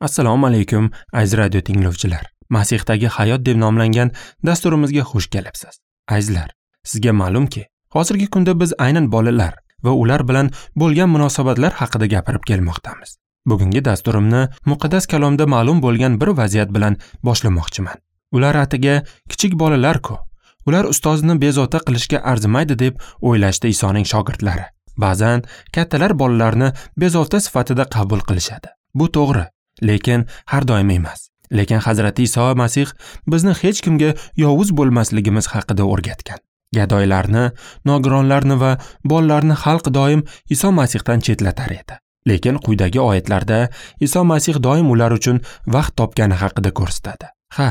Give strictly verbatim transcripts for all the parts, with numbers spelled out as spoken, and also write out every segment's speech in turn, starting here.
Assalomu alaykum, aziz radio tinglovchilar. Masihdagi hayot deb nomlangan dasturimizga xush kelibsiz. Azizlar, sizga ma'lumki, hozirgi kunda biz aynan bolalar va ular bilan bo'lgan munosabatlar haqida gapirib kelmoqdamiz. Bugungi dasturimni muqaddas kalomda ma'lum bo'lgan bir vaziyat bilan boshlamoqchiman. Ular atiga kichik bolalar-ku, ular ustozni bezovta qilishga arzimaydi deb o'ylashdi Isoning shogirdlari. Ba'zan kattalar bolalarni bezovta sifatida qabul qilishadi. Bu to'g'ri, lekin har doim emas. Lekin Hazrati Iso Masih bizni hech kimga yovuz bo'lmasligimiz haqida o'rgatgan. Gadoylarni, nogironlarni va bolalarni xalq doim Iso Masihdan chetlatar edi. Lekin quyidagi oyatlarda Iso Masih doim ular uchun vaqt topgani haqida ko'rsatadi. Ha,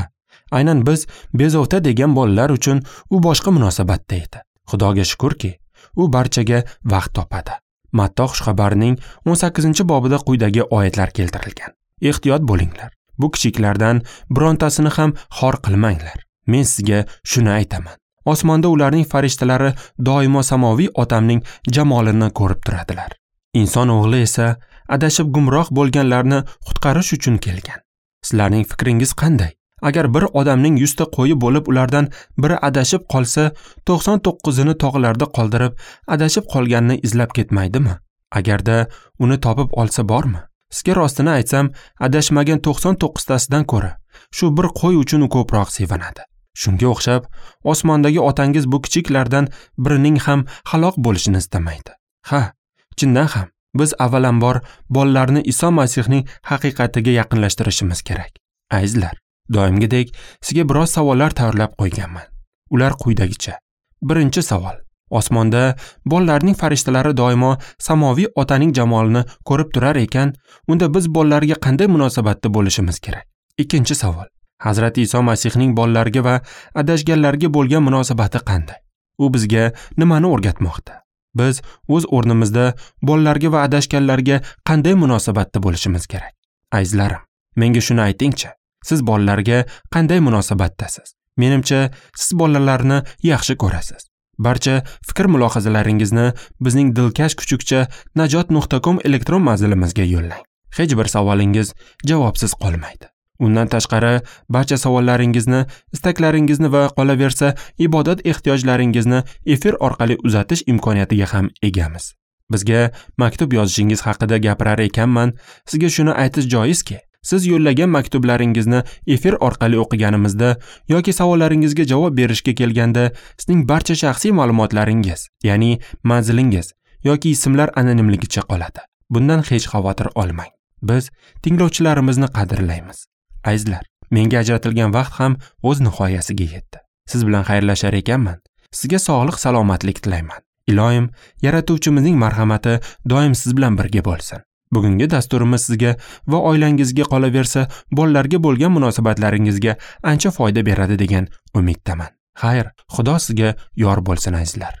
aynan biz bezovta degan bolalar uchun u boshqa munosabatda edi. Xudoga shukurki, u barchaga vaqt topadi. Matto xushxabarining o'n sakkizinchi bobida quyidagi oyatlar keltirilgan. Ehtiyot bo'linglar. Bu kichiklardan birontasini ham xor qilmanglar. Men sizga shuni aytaman. Osmonda ularning farishtalari doimo samoviy otamning jamolini ko'rib turadilar. Inson o'g'li esa adashib gumroh bo'lganlarni qutqarish uchun kelgan. Sizlarning fikringiz qanday? Agar bir odamning yuzta qo'yi bo'lib, ulardan biri adashib qolsa, to'qson to'qqizini tog'larda qoldirib, adashib qolganini izlab ketmaydimi? Agarda uni topib olsa bormi? Sizga rostini aytsam, adashmagan to'qson to'qqiztasidan ko'ra shu bir qo'y uchun u ko'proq sevinadi. Shunga o'xshab, osmondagi otangiz bu kichiklardan birining ham halok bo'lishini istamaydi. Ha, chindan ham biz avvalambor bolalarni Iso Masihning haqiqatiga yaqinlashtirishimiz kerak. Azizlar, doimgidek sizga biroz savollar tayyorlab qo'yganman. Ular quyidagicha. Birinchi savol. Osmonda bolalarning farishtalari doimo samoviy otaning jamolini ko'rib turar ekan, unda biz bolalarga qanday munosabatda bo'lishimiz kerak? Ikkinchi savol. Hazrati Iso Masihning bolalarga va adashganlarga bo'lgan munosabati qanday? U bizga nimani o'rgatmoqda? Biz o'z o'rnimizda bolalarga va adashganlarga qanday munosabatda bo'lishimiz kerak? Azizlarim, menga shuni aytingchi, siz bolalarga qanday munosabatdasiz? Menimcha, siz bolalarni yaxshi ko'rasiz. Barcha fikr mulohazalaringizni bizning dilkash kuchukcha najot nuqta com elektron manzilimizga yo'llang. Hech bir savolingiz javobsiz qolmaydi. Undan tashqari, barcha savollaringizni, istaklaringizni va qolaversa ibodat ehtiyojlaringizni efir orqali uzatish imkoniyatiga ham egamiz. Bizga maktub yozishingiz haqida gapirar ekanman, sizga shuni aytish joizki, siz yo'llagan maktublaringizni efir orqali o'qiganimizda yoki savollaringizga javob berishga kelganda sizning barcha shaxsiy ma'lumotlaringiz, ya'ni manzilingiz yoki ismlar anonimligicha qoladi. Bundan hech xavotir olmang. Biz tinglovchilarimizni qadrlaymiz. Azizlar, menga ajratilgan vaqt ham o'z nihoyasiga yetdi. Siz bilan xayrlashar ekanman, sizga sog'lik, salomatlik tilayman. Iloyim, yaratuvchimizning marhamati doim siz bilan birga bo'lsin. Bugungi dasturimiz sizga va oilangizga, qolaversa bolalarga bo'lgan munosabatlaringizga ancha foyda beradi degan umiddaman. Xayr, Xudo sizga yor bo'lsin azizlar.